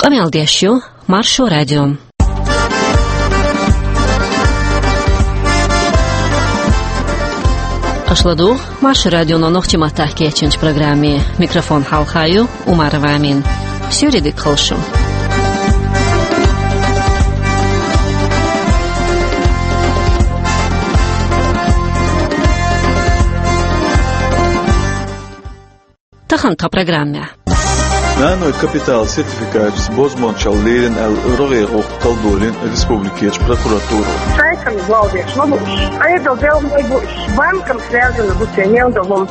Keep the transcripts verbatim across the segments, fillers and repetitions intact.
Къамел деш ю Маршо радио. Аша ладугӀу Маршо радионо нохчийн маттахь кечйинчу программе. Микрофон хьалха ю Умарова Амина. Суьйре дика хуьлда шун. Тахана тхан программехь. Нанойн капиталан сертификаташца бозбуунчалла лелийна аьлла, рогӀера гӀуллакх талла долийна республикерчу прокуратуро. Шайкана гӀолдеш ма бу уьш, Ӏедалан делхой бу уьш, банкана связано бу церан мел долу хӀума.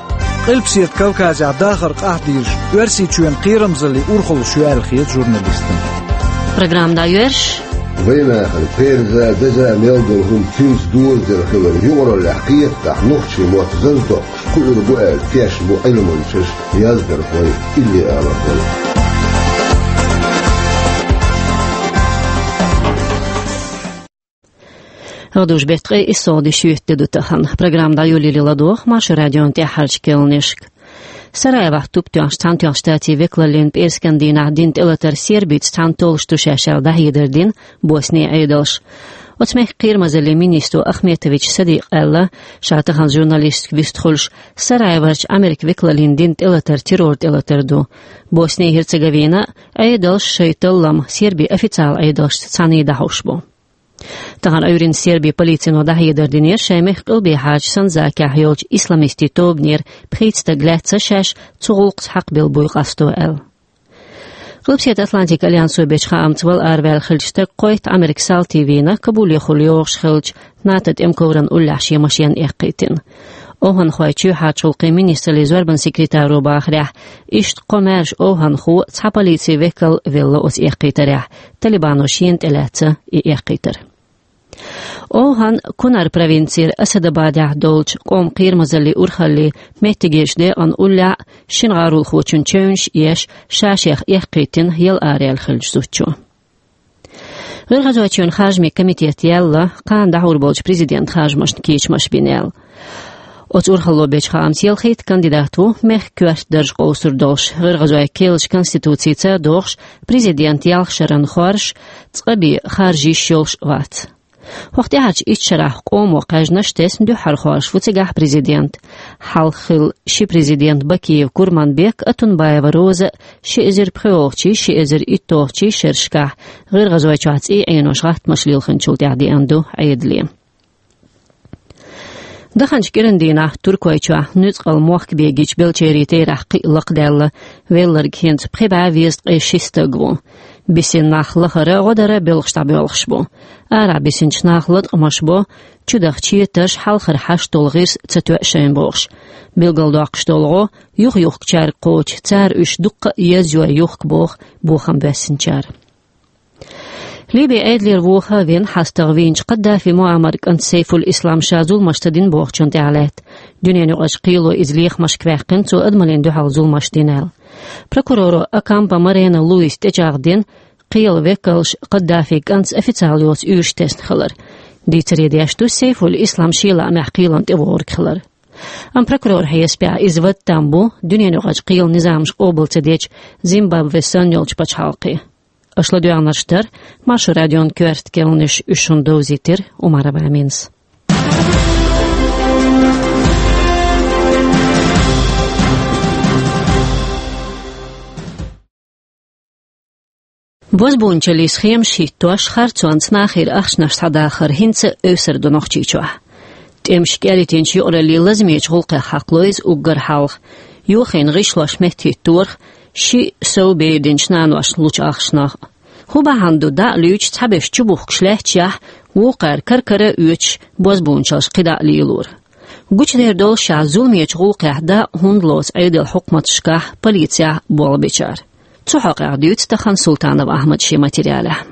Къилбаседа Кавказехь дахар къахьдийраш Оьрсийчоьнан кхерамзаллин урхаллаш ю аьлла хета журналистана. Программа дӀайоьрзуш. Вайнахана пхьера а, деза а мел долу хӀума цуьнца доьзна хилар юкъараллехь кхетахь, нохчийн мотт зазадоккхуш кхуьур бу аьлла тешна бу Ӏилманчаш, яздархой, иллиалархой. ГӀадужу беттан ткъе иссалгӀа де шоьтан де ду тахана. Программа дӀайолале ладогӀа Маршо радион тӀаьххьарчу керланашка. Сараевохь туп тоьхначу Цхьаьнатоьхначу Штатийн векалаллин пӀераскан дийнахь дина тӀелатар Сербица цхьаьна толлуш ду шаьш аьлла дӀахьедар дина Боснин Ӏедалша. Оцу мехкан кхерамазаллин министро Ахметович Садикъа аьлла, ша тахана журналисташка вистхуьлуш, Сараеварчу Ӏамеркан векалаллин дина тӀелатар террор тӀелатар ду. Босни-Герцеговина а, Ӏедалша шайн таллам Сербин официалан Ӏедалшца цхьаьна дӀахьош бу. Тахана Ӏуьйранна Сербин полицино дӀахьедар динера шайн мехкан къилбехьарчу Санзакехь йолчу исламистийн тобанера пхийтта стаг лаьцна шаьш цу гӀуллакхца хьакхабелла буй къасто аьлла. Къилбаседа Атлантикан альянсо бечу хаамца вала араваьлла хиллачу стага кхойтта Ӏамеркан салтий вийна Кабулехула йогӀуш хиллачу НАТО тӀеман ковран уллехь шен машен эккхийтина. ОвхӀанхойн чоьхьарчу гӀуллакхийн министраллин зорбанан секретаро бахарехь, иштта кхо маьрша овхӀанхо, цхьа полицин векал велла оцу эккхийтарехь, талибано шена тӀелаьцна и эккхийтар. ОвхӀан Кунар провинцера Асадабадехь долчу къоман кхерамазаллин урхаллин меттигерчу декъана уллехь шина гӀаролхочун чевнаш а еш, ша-шех эккхийтина яла араяьлла хиллачу зудчо. ГӀиргӀазойчоьнан харжамийн комитето яьлла кхана дӀахьур болчу президентан харжамашна кечамаш бина аьлла. Оцу урхалло бечу хаамца ялхитта кандидат ву мехкан коьрта дарж къовсур долуш, гӀиргӀазойн керлачу конституцица а догӀуш, президентан ялх шарна хоржуш, цкъа бен харжа йиш йолуш а вац. ХӀокху тӀаьхьарчу итт шарахь къомо кхаьжнаш тесна дуьххьара хоржуш ву цигахь президент. Хьалха хилла ши президент Бакиев Курманбек а, Атунбаева Роза а ши эзар пхоьалгӀачий, ши эзар итталгӀачий шерашкахь ГӀиргӀазойчохь цӀий Ӏенош гӀаттамаш лилхинчул тӀаьхьа деана ду Ӏедале. Даханчу кӀиран дийнахь Туркойчохь нуьцкъала мохк бегийчу белчерийн терахь кхин а лакхадаьлла, велларг хӀинца пхи бӀе везткъе ши стаг ву. Бисина нах лахара, гӀо дара белхаш дӀабоьлхуш бу. Арахь бисинчу наха латкъамаш бо, чудаха четарш, хьалхара хьашт долу гӀирс ца тоьа шайна бохуш. Билгалдоккхуш долу гӀо юхаюхкучаьрга кхочу, цара уьш дуккха а езйой юхку боху бохам боьссинчара. Ливин Ӏедалера вохавина хьастагӀа вийначу Каддафи Муаммаран кӀанта Сейфуль-Ислам ша зуламаш ца дина бохучунна тӀехь лаьтта. Дуьненаюкъарчу кхело иза лехамашка ваьккхина, цо адамаллина дуьхьал зуламаш дина аьлла. Прокурора Окампо Марена Луиса тӀечӀагӀ дина, кхелан векалш Каддафин кӀантаца официалан йоцу уьйраш тесна хилар. Дийцаре деш ду Сейфуль-Ислам шен лаамехь кхелана тӀевогӀург хилар. Амма прокуроран хьесапехь иза вад там бу дуьненаюкъарчу кхелан низамаш къобал ца дечу Зимбабве санна йолчу пачхьалкхе. Аша ладоьгӀнарш дара Маршо радион коьрта керланаш, уьш шуна довзийтира Умарова Аминас. Бозбуунчаллин схемаш хӀиттош, харцонца нахера ахчанаш схьадахар хӀинца а эвсар ду Нохчийчохь. ТӀемаш кӀеритинчу юкъараллин лазамечу гӀуллакхех хьакхало иза уггар хьалха. Йохийна гӀишлош меттахӀитторах, шиъ-сов бер динчу наношна лучу ахчанах. ХӀун бахьана ду дӀа а луьйчу цхьаберш чубухкуш лаьтташехь, вукхара кара-кара а оьцуш бозбуунчаллаш кхидӀа а лелоран? Гучудер долу шаьш зуламечу гӀуллакхехь дӀа а хӀунда лоцу Ӏедалан хьукматашкахь, полицехь болх бечара? Цу хьокъехь дуьйцу тахана Султанов Ахьмада шен материалехь.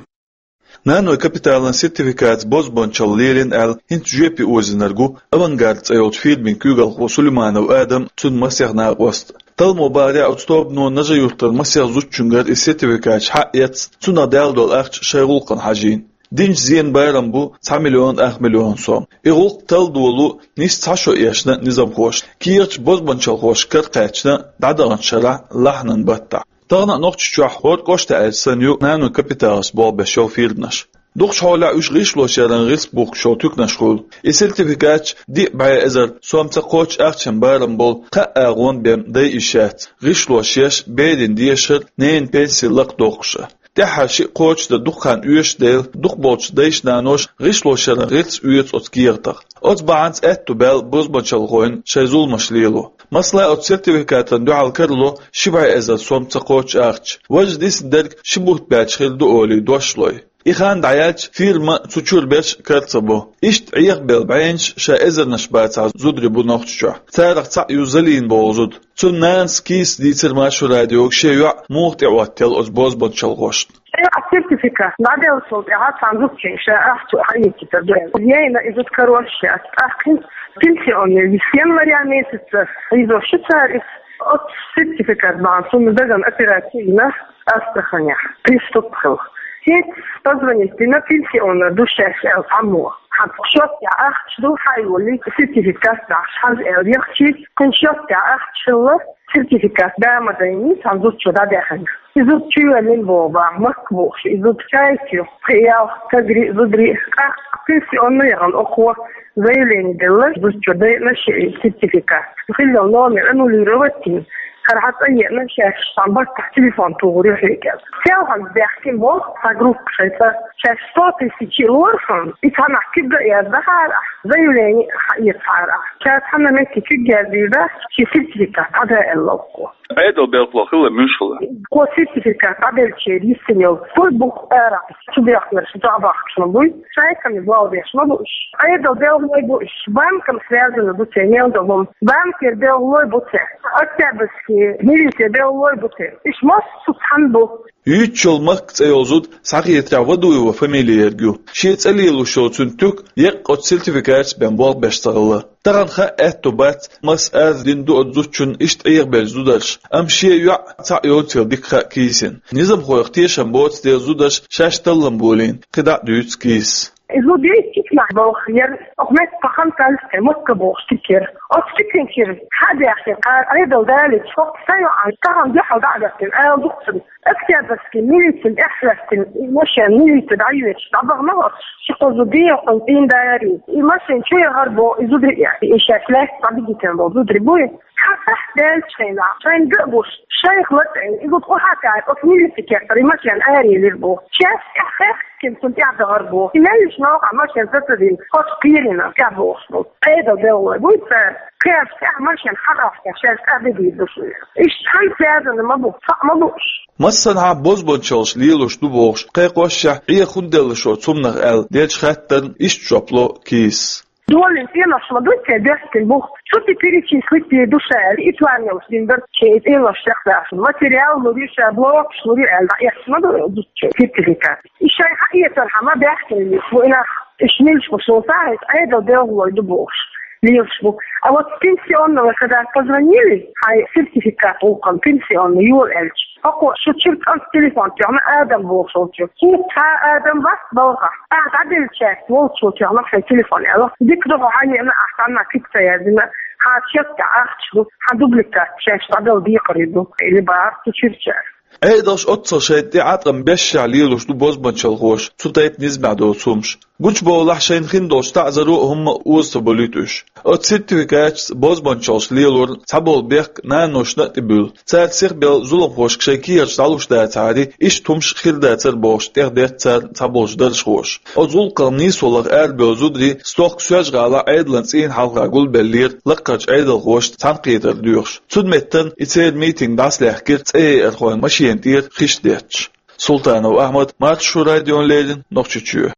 Нанойн капиталан сертификатца бозбуунчалла лелийна аьлла, хӀинца жоьпе озийнарг ву «Авангард» цӀе йолчу фирмин куьйгалхо Сулейманов Адам а, цуьнан масех накъост а. Талламо бахарехь, оцу тобано Нажи-Юьртара масех зудчуьнгара и сертификаташ схьа а эцна, цунах даьлла долу ахча шайн гӀуллакхана хьажийна. Динчу зенан барам бу цхьа миллион ах миллион сом. И гӀуллакх талла долу нийса цхьа шо эшна низамхоша, кехаташ бозбуунчаллехь кара кхаьчна дӀадаханчу шарахь лахьанан баттахь. Тахана Нохчийчохь хӀора кӀоштахь аьлча санна ю нано-капиталашца болх беш йолу фирманаш. Дукхачу хьолехь уьш гӀишлошъяран гӀирс бухкуш йолу туьканаш хуьлу. И сертификаташ диъ бӀе эзар сом ца кхоччуш ахчанан барам болу кхаа агӀон бен дай йиш яц, гӀишлош еш, берийн дешар, ненан пенси лакхадоккхуш а. ТӀаьххьара шиъ кхочушдан дукха хан оьшуш дела, дукхахболчу дайша-наноша гӀишлошъяран гӀирс оьцу оцу кехатах. Оцу бахьанца аьтту баьлла бозбуунчалхойн шайн зуламаш лело. Масала, оцу сертификатана дуьхьал карало ши бӀе эзар сом ца кхоччуш ахча. Важа дисна дерг ши бутт баьлча хир ду олий дош лой. И хан дӀаяьлча, фирма цу чуьра берш кара ца бо. Иштта Ӏехабелла бӀеннаш ша эзарнаш бацахь зударий бу Нохчийчохь. Царах цхьаъ ю Залина боху зуда. Цуьнан нанас Кисас дийцира Маршо радиога шен йоӀ муха тӀеӀоттаелла оцу бозбуунчалхошна. Шайн сертификат дӀаделлачул тӀаьхьа цхьана зудчуьнга ша ахча хьаэцийтар ду аьлла. Яйна и зуда карош яц. ТӀаккха пенсионный январь месяца хьийзош ю цара иза. Оцу сертификат бахьана цунна дагана операци йина Астраханехь, приступ хилла. ХӀинца позвонить дина, пенсионный ду шаьш аьлла цхьаммо. Хьан счётехь ахча ду, хьайолий, сертификат дахьаш хьажа аьлла яхчий, кхуьнан счётехь ахча хилла, сертификат да ма дайний, цхьана зудчо дӀадаьхна. И зуда чувоьллина боху бахьа, Макка бохуш, и зуда чайка ю, пхи-ялх стагарий, зударий. ТӀаккха пенсионный яхана окхо заявление делла, зудчо дайна шен сертификат. Хилла номер аннулировать йина, хӀара хьан цӀа еана, шаьш цхьана баттахь телефон тухур ю хьоьга аьлла. Селхана баьхкина боху цхьа группа шайн цӀа. Шаьш сто тысяч лора хьуна, и цхьанхьа куьг а яздахьара ахь, заявление хьаэцахьара ахь. Ша цхьана метте куьг яздийр дац, шен сертификат дӀада аьлла окхо. Ӏедал белхало хилла муьлш хилла? Кхо сертификат дӀабеллачеран йисина йолу. Кхо бух арахь, цу бехкарш дӀабахкаш ма буй. Шайкхамма болх беш ма бу уьш. Ӏедал белхалой бу уьш. Банкан связано бу церан мел долу хӀума. Банкера белхалой бу церан. Октябрьский милиция белхалой бу церан. Уьш массо а цхьаьна бу. Юьйцуш йолу Макка цӀе йолу зуда, схьахетарехь, Вадуева фамилия ерг ю. Шен цӀе лелош йолу цуьнан туька еккъа оцу сертификаташца бен болх беш ца хилла. Тахана хан аьтту бац, маса арз дина ду оцу зудчунна иштта Ӏехабеллачу зударша, амма шен йоӀ цхьаъ йоцийла дика хаьа Кисина. Низамхойх тешам боцу дела зударша шаьш таллам болийна, кхидӀа а дуьйцу Кисас. И зуда йиттина нах болх яра, оха метта пахан таллица Макка бохуш тикера. Оцу тикинчуьра хьа а баьхкина, кхара Ӏедал далийча, хӀокху сан йоӀана тахана дуьхьал дӀа а гӀоьртина, ала ду-кх цунна. Октябрьский милицина тӀаьхьахӀоьттина, и машен милице дӀайоьдуш, дӀабахана оцу ши-кхо зуда, и хӀокхунна цӀийнан дарий. И машен чу яхара боху и зударий, и шаьш лаьцна дӀадигийтина болу зударий буй. Хьан сахьт даьлча хенахь, шайна ган а гуш, шайх латӀе, и зуда къу хьа кхаьчча, оцу милицин кехатара и машен араелира боху. Шаьш тӀаьхьа хехкина цунна тӀаьхьадахара боху. И меллаша новкъахь машен сацадина, хӀокху кхерина тӀаьхьабохуш болу. Ӏедал белхалой буй цара, кхаьрца тӀаьхьа машен хьагӀахтехь шаьш тӀаьхьадигийр ду шуьга. Иштта хьан связано ма бу, цхьаъ ма бу уьш. Массанхьа бозбуунчаллаш лелош ду бохуш, кхайкхошшехь, Ӏеха хӀунда делла шо цунах аьлла деллачу хаттарна иштта жоп ло Кисас. Долийна цӀенош ма ду те, бехкина бух. Цу тӀе перечислить дийр ду ша аьлла, и план йолуш дина дара шен и цӀенош чекхдахна. Материал лур ю ша, блокаш лур ю аьлла, дӀаэцна ма ду зудчо сертификат. И шайн хьаэцархьама баьхкина лелаш бу и нах. Уьш милаш бу шуна ца хьаьжча, Ӏедал белхалой ду бохуш лелаш бу. А вот с пенсионного когда позвонили, хьайн сертификат гӀуллакхана пенсионный йола аьлча, хӀокхо шу чуьра кӀант телефон тоьхна Адам бохуш волчуьра. ХӀинца цхьа а Адам вац балхахь. Ахьа дӀабеллачаьрца волчо тоьхна хьайн телефон аьлла. Дика ду хьо хьан еана, ахьа цхьанна куьг ца яздина, хьан счётехь ахча ду, хьан дубликат шаьш дӀадала декхари ду, или бахара цу чуьрачара. Ӏедалш оццул шайна тӀе Ӏаткъам бешшехь лелош ду бозбуунчалхоша цу тайпа низамехь доцу хӀумаш. Гучубовлахь, шайна хин долчу таӀзаро а хӀумма а оза ца болуьйту уьш. Оцу сертификаташца бозбуунчаллаш лелорна цхьаболу бехк наношна а тӀебуьллу. Цара сихбелла зуламхошка шайн кехаташ дӀалуш дацахьара, иштта хӀумаш хир дацара бохуш, тӀехдеттара цара цхьаболчу даржхоша. Оцу гӀуллакхах нийсо лаха арабевлла зударий стохка Соьлжа-ГӀалахь Ӏедалан цӀийнан хьалха гулбеллера лаккхарчу Ӏедалхошца цхьаьнакхетар доьхуш. Цуьнан меттана и церан митинг дӀасалаьхкира цӀеяйархойн машена тӀера хиш детташ. Султанов Ахьмад, Маршо радиона леррина, Нохчийчоь.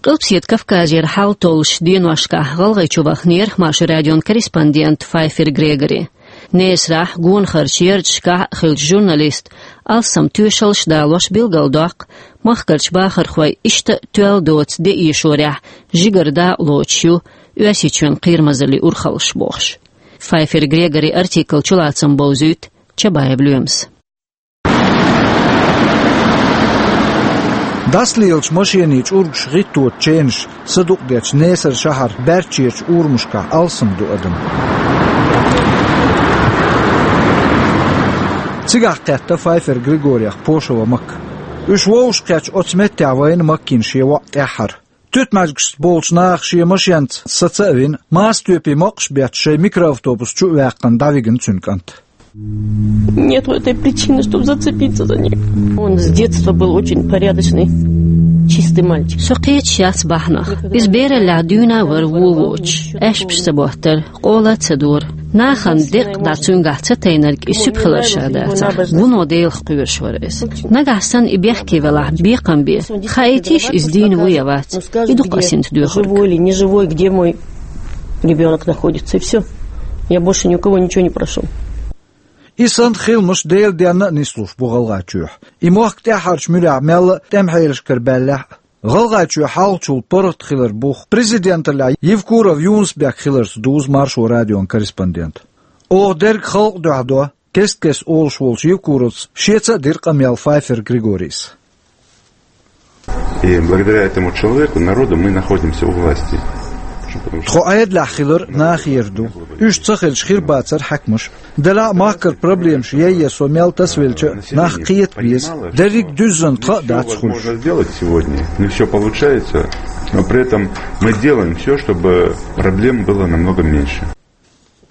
Къилбаседа Кавказера хьал толлуш деношкахь ГӀалгӀайчу вахнера Маршо радион корреспондент Файфер Грегори. Несарахь, гонахарчу ярташкахь а хиллачу журналиста алсам тоьшаллаш далош билгалдоккху махкарчу бахархой иштта а тоьлла доцу де эшорехь жигара дакъа лоцуш ю Оьрсийчоьнан кхерамазаллин урхаллаш бохуш. Файфер Грегорин артиклан чулацам бовзуьйту Чабаев Лоьмас. ДӀасалелачу машенийн чӀургаш гӀитточу ченаш садукъдечу Несар шахьаран баьрчерачу урамашкахь алсам ду адам. Цигахь кхетта Файфер Григорих Пошева Макка. Уьш вовшахкхетча оцу меттехь вайна Маккина шен воӀ тӀаьххьара. Туьтмаьжгашца болчу наха шен машенца саца а вина, маса тоьпе моккхаш бетташ шайн микроавтобус чу а ваьккхина дӀавигна цуьнан кӀант. Нет этой причины, чтобы зацепиться за них. Он с детства был очень порядочный, чистый мальчик. Со кхеташ яц бахьанах. Иза бераллехь дуьйна а вара вон воцуш, аьшпаш ца боттара, къола а ца дора. Нахана деккъа дӀа цуьнгахь ца тайнарг и суьпа хилар ша дацахь, вуно Делах кхоьруш вара иза. Нагахь санна и бехке велахь, бекхам бе, хаийтийша иза дийна ву я вац, и ду-кх ас хӀинца доьхург. Живой или неживой, где мой ребёнок находится, и всё. Я больше ни у кого ничего не прошу. И санна хиламаш Делан денна а нислуш бу ГӀалгӀайчохь. И мохк тӀаьххьарчу муьрехь мелла а тӀеман хьелашкара баьллехь а, ГӀалгӀайчоь хьалхачул паргӀат хилар бух президенталлехь Евкуров Юнус-Бек хиларца дузу Маршо радион корреспондента. Оха дерг халкъ дуьхьа до, кест-кеста олуш волчу Евкуровца шеца а дира къамел Файфер Григорийс. И благодаря этому человеку, народу, мы находимся у власти. Тхо Ӏедалехь хилар нахера ду. Уьш ца хилча, хир бацара хьаькамаш. Делахь а махкара проблемаш яйъе со мел тасавелча а, нах кхета беза, дерриг а дуьззина тхан а дац хуьлуш. Всё возможно сделать сегодня, не всё получается, но при этом мы делаем всё, чтобы проблем было намного меньше.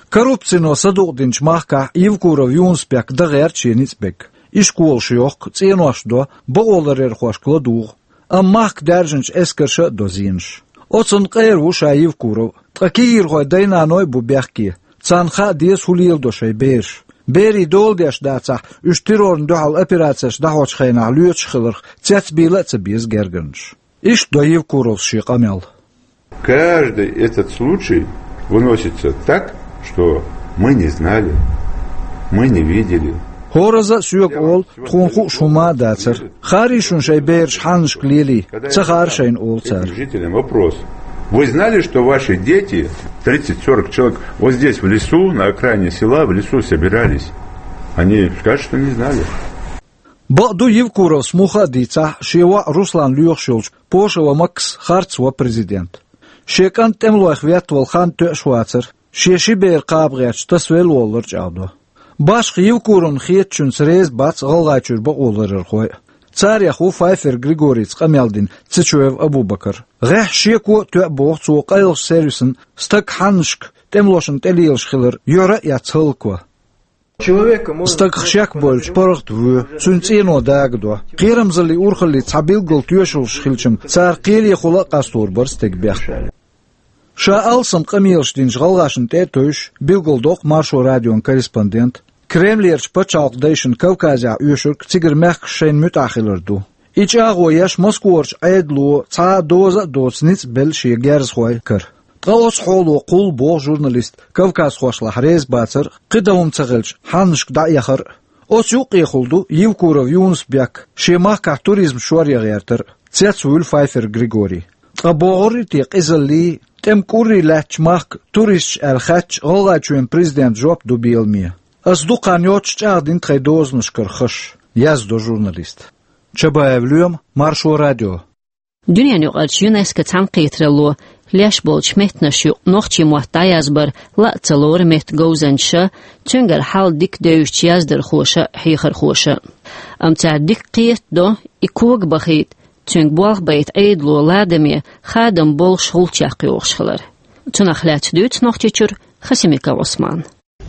Коррупцино садукъдинчу махкахь Евкуров Юнус-Бек дан гӀерта шен ницкъ берг. Ишколаш йохку, цӀенош до, бакъоларъярхошка ладугӀу. Амма махка даьржинчу эскарша а до зенаш. Оцунна къера ву ша Евкуров, ткъа кегийрхойн дай-наной а бу бехке. Царна хаа деза, хӀун леладо шайн бераш. Берийн дола деш дацахь, уьш террорна дуьхьал операцеш дӀахьочу хенахь лоьцуш хиларх цецбийла а ца беза гергарнаш. Иштта до Евкуровс шен къамел. Каждый этот случай выносится так, что мы не знали, мы не видели. ХӀоразза а соьга олу, тхуна хууш хӀума а дацара. Хаьрий шуна шайн бераш хьаннашка лелий, ца хаьара шайна, олу цара. Жителям вопрос. Вы знали, что ваши дети, тридцать-сорок человек, вот здесь, в лесу, на окраине села, в лесу собирались? Они скажут, что не знали. Бакъду, Евкуровс муха а дийцахь, шен воӀ Руслан лоьхуш йолчу Пошева Маккас харц ван президент. Шен кӀант тӀемалойх веттавала хан тоьаш вацара, шен ши бер кхаба гӀерташ тасавелла воллар чӀагӀдо. Башха Евкуровна хетачуьнца реза бац ГӀалгӀайчуьра бакъоларъярхой а. Царех ву Файфер Григорийца къамел дина Цечоев Абубакар. ГӀеххьа шеко а тоьа боху цо къайлахчу сервисан стаг хьаннашка тӀемалошна тӀелелаш хилар юьхьара а эцна хӀаллакван. Стагах шек бойлуш паргӀат воь, цуьнан цӀено дагадо. Кхерамзаллин урхаллица цхьа билггал тоьшаллаш хилча-м, цара кхелехула а къастор бара стеган бехк. Ша алсам къамелаш динчу гӀалгӀашна тӀе а тевжаш, билгалдоккху Маршо радион корреспондента, Кремлерчу пачхьалкхан дайшна Кавказехь оьшург цигара мехкаш шайна муьтӀахь хилар ду. И чӀагӀо еш Москварчу Ӏедало цхьа а доза а доцу ницкъ белла шен герзахойн кара. Ткъа оцу хьоло кхуллу боху журналист кавказхошлахь реза бацар а, кхин дан хӀума ца хилча, хьаннашка дӀаэхар а. Оцу юккъехула ду Евкуров Юнус-Бек шен махкахь туризм шоръян гӀертар а. Цецвуьйлу Файфер Григорий. Ткъа богӀуррий те къизаллий, тӀеман кӀуррий лаьттачу махка туристаш аьлла хаьттича, ГӀалгӀайчоьнан президентан жоп ду беламе. Ас дукха хан йоццуш чӀагӀдина тхайн дозанашкара хаза, яздо журналиста. Чабаев Лоьма, Маршо радио. Дуьненаюкъарчу ЮНЕСКО цхьаьнакхетаралло леш болчу меттанаш юкъа нохчийн мотт дӀаязбар ла а ца лору меттан говзанчаша, цуьнгара хьал дика девзачу яздархоша а, хьехархоша а. Амма цара дика кхетадо, и кога бахийта, цуьнга болх байта Ӏедало ладаме, хадам болуш гӀулч яккха йогӀуш хилар. Цунах лаьцна дуьйцу Нохчийчуьра Хасимиков Ӏусмана.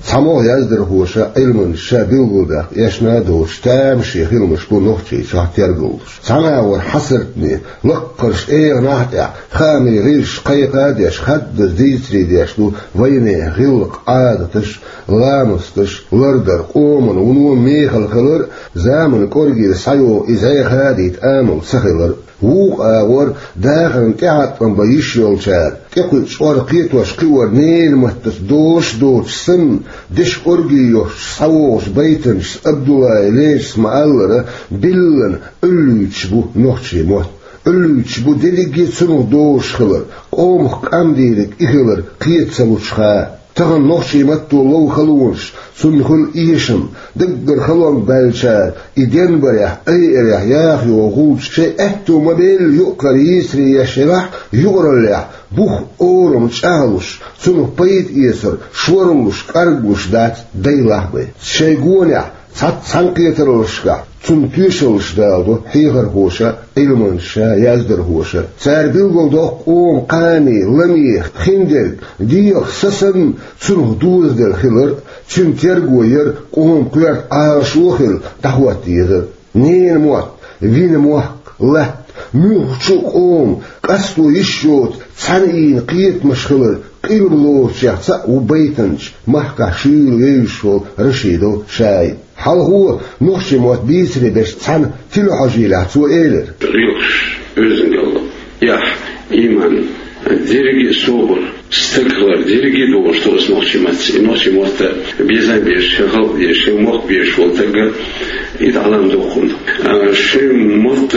ЦхьамогӀа яздархоша, Ӏилманчаша билгалдаккха эшна а доцуш, тамашийна хиламаш бу Нохчийчохь тергаллуш. Цхьана агӀор хьасартане, лаккхарчу эгӀанехь а тӀехь, хаамийн гӀирсаша кхайкха а деш, хаддаза дийцаре деш ду вайнехан гӀиллакх, Ӏадаташ, ламасташ, лардар, къоман вуно мехала хилар а, заманан кӀоргера схьайогӀу и зӀе хадийта амал ца хилар а. Вукху агӀор дахарна тӀехьакъам бан йиш йолчара тӀекхуьучу чкъор кхетош кхиор ненан маттаца дош доцуш санна, дешан кӀорге йоьхча схьавогӀучу байтанчаца Абдуллай Лечица ма-аллара, биллина Ӏуьллуьйтуш бу нохчийн мотт. Ӏуьллуьйтуш бу дерриге а цунах дозуш хилар, къомах къам дийриг и хилар кхета ца лучу ха. Тахана нохчийн матто лов халонаш, цунна хуьлу эшам, даггара халонга баьллачара и денбарехь, айарехь яха йогӀу гӀулч шайн аьтто ма-белла юкъара йийцаре еш елахь а, юкъараллехь бух, орам чӀагӀлуш, цунах пайда эцар шорлуш, кӀарглуш дац дайлахь а бен. Шайн гонехь Цхьацца цхьана кхетараллашкахь цунна тоьшаллаш даладо хьехархоша, Ӏилманчаша, яздархоша. Цара билгалдоккху къоман кхане, ламе, хиндерг, дегӀах са санна цунах дозаделла хилар, цуьнан терго яр, къоман коьрта Ӏалашо а хилла дӀахӀотта езар. Ненан мотт, вина мохк, латта, муьлххачу а къоман къасто йиш йоцу цхьана ийна кхетамаш хилар къилба лоручех цхьаъ ву байтанча, махкахь шуьйра вевзаш волу Рашидов Шаид. Хьалхо нохчийн мотт бийцаре беш цхьана телехьожийлехь цо элира: гӀиллакхаш оьздангалла, эхь, иман, дерриге а собар, стаг хилар, дерриге а догӀуш ду оцу нохчийн маттаца. И нохчийн мотт безам беш, шен халкъ дезаш, шен мохк безаш волу стаг, и дӀалам доккхун. А, шен мотт,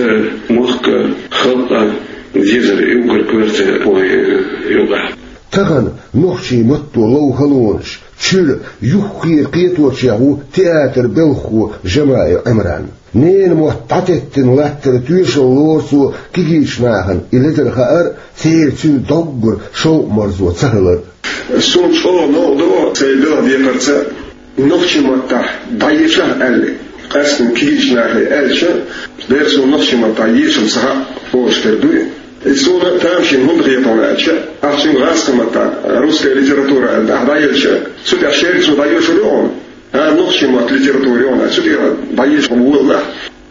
мохк, халкъ дезар и уггар коьрта вайн юкъахь. Тахана нохчийн матто лов халонаш чуьра юххера кхеточех ву театр белхахо Жамаев Ӏимран. Ненан мотт дӀатеттина латтара тоьшалла лору цо кегийчу нахана, и ледара хаар а, церан цуьнан доггара шовкъ-марзо ца хилар. Суна чӀогӀа новкъа до сайн белхан декхарца нохчийн маттахь дӀаеша аьлла. Къаьсттина кегийчу нахе аьлча, дера суна нохчийн маттахь ешам ца хаьа бохуш хир дуй. И суна тамашийна хӀунда хета хьуна аьлча, ахь цуьнга гӀазкхийн маттахь русская литература аьлла, ахь дӀаелча, цу тӀехь шерга цо дӀайошур ю хьуна. А, нохчийн мотт литература ю хьуна аьлча, цу тӀехь дӀаеша волалахь,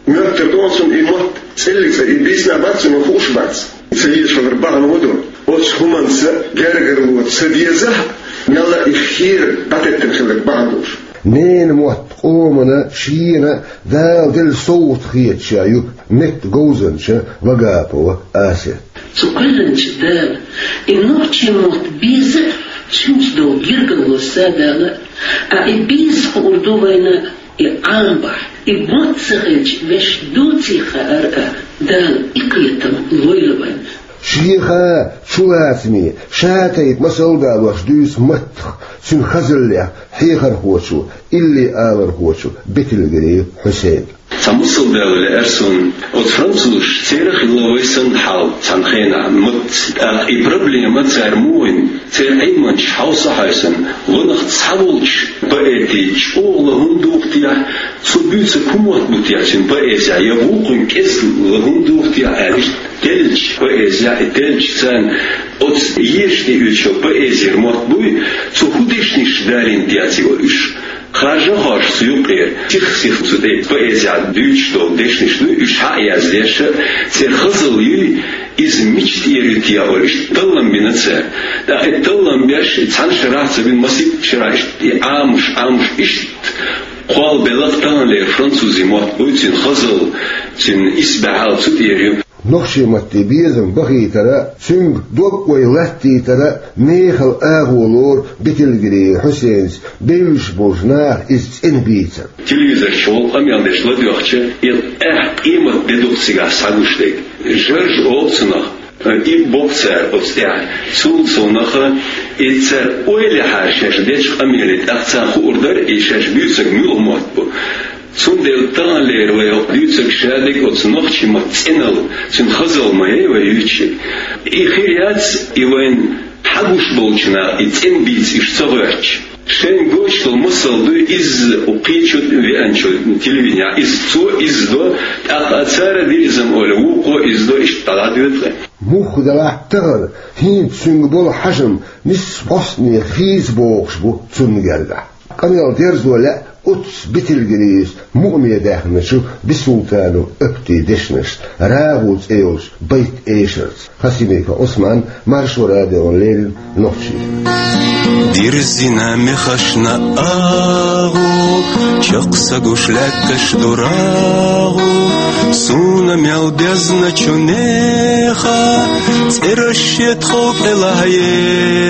моьттур ду хьуна цунна и мотт цӀеллиг цӀа, и бийцина бац, цунна хууш бац. Ца езаш хилар бахьана хӀун ду? Оцу хӀуманца гергарло ца дезахь а, мелла а и хера дӀатеттина хиларг бахьана долуш. Ненан мотт къомана, шена Дала делла совгӀат хеташ ю меттан говзанча Вагапова Асет. Цу кхоьллинчу Дала и нохчийн мотт беза а, цуьнца долу гергарло садала а, а и беза хуур ду вайна и Ӏамабахь, и мотт ца хилча вешан доций хаар а, Дала и кхетам лойла вайна. Шеха чулацаме, ша тайпа масал далош дуьйцу маттах, цуьнан хазаллех хьехархочо, илли алархочо Бетилгири Хьусейна. Цхьа масал далале аьлла суна, оцу французаш, церан а хилла вай санна хьал цхьана хенахь маттаца. ТӀаккха и проблема цара муха вина, церан Ӏилманчаш хьовса а хьаьвсина, ванах цхьаволчу поэтийн чӀогӀа лан хӀунда духу техьа, цо буьйцург хӀун мотт бу техьа цуьнан поэзехь, я вукхуьнан кӀезиг лан хӀунда духу техьа аьлла, иштта деллачу поэзехь, и деллачу царна оцу ешан тӀеоьцучу поэзера мотт буй, цо хӀун дешнаш далийна техьа цига уьш. Харжа а хоржуш цу юккъера, сих-сиха цу тӀе поэзехь дуьйцуш долу дешнаш дуй, уьш хьа а яздеш, церан хазалла юй, иза мича тӀера ю техьа олуш, иштта таллам бина цара. ТӀаккха и таллам беш, и цхьана шарахь ца бина, масийтта шарахь иштта и Ӏамош, Ӏамош иштта кхолла белахь а, таханлера французийн мотт буй, цуьнан хазалла, цуьнан исбаьхьалла цу тӀера ю. Нохчийн матте безам бахийтара, цуьнга дог-ой латтийтара мехала агӀо лору Бетилгири Хьусейнца бевзаш болчу наха иза цӀена бийцар. Телевизор чохь къамел деш ладоьгӀча, и аьхьа къемат де ду-кх цигахь схьагуш дерг. Жарж олу цунах, и боккху цара оцу тӀехь. Цул совнаха, и цара ойла яхьара шаьш дечу къамеле, тӀаккха царна хуур дара, и шаьш буьйцург муьлха мотт бу. Цундела таханлера вай хӀокху дуьйцург шадерг оцу нохчийн маттан цӀеналла, цуьнан хазалла ма яй вай юьйцург. И хир яц, и вайна хьагуш болчу наха и цӀена бийца уьш ца гӀоьртича. Шайна гойтуш долу масал дуй, иза кхечу веанчу телевиденехь, иза цо иза до, тӀаккха цара дирзина олий, вукхо иза до, иштта дӀадоьду тхо. Муха делахь а тахана, хӀинца цуьнга болу хьажам нисса постане хийца богӀуш бу цунна гергахь. Къамел дерзо лаьа оццу Бетилгирис мукъаме даьхначу Бисултанов Аптин дешнашца, «РагӀу» цӀе йолчу байт-эшарца. Хасимиков Ӏусман, Маршо радиона леррина, Нохчийчоь. Дирзина мехашна агӀу, чекх са гуш лаьтташ ду рагӀу, суна мел безначу неха, цӀераш шетхал кӀелахь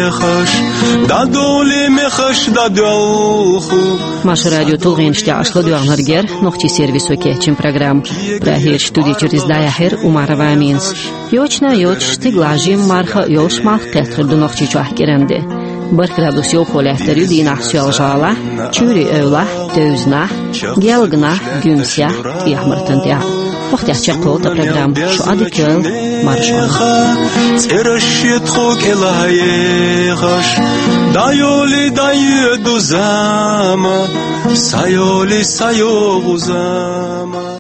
ехаш, дӀадовлий мехаш дӀадоьлху. Маршо радион тулгӀенаш тӀехь аша ладоьгӀнарг яра нохчийн сервисо кечйина программа. Прагерчу студи чуьра иза дӀаяьхьира Умарова Аминас. Йочана йоцуш, цига лажийна марха а йолуш, малх кхетар ду Нохчийчохь кӀиран де. Барх градус йовхо лаьттар ю дийнахь Соьлжа-ГӀалахь, Чуьйрийн эвлахь, Тевзанахь, Гелганахь, Гуьмсехь, ТӀехьа-Мартан тӀехь. Вахтехь чекхйолу тхан программа. Шу Ӏадика йойла, марша Ӏойла. ЦӀераш шетхо кӀелахьехаш, дӀайоли дӀайоьду зама, сайоли сайогӀу зама.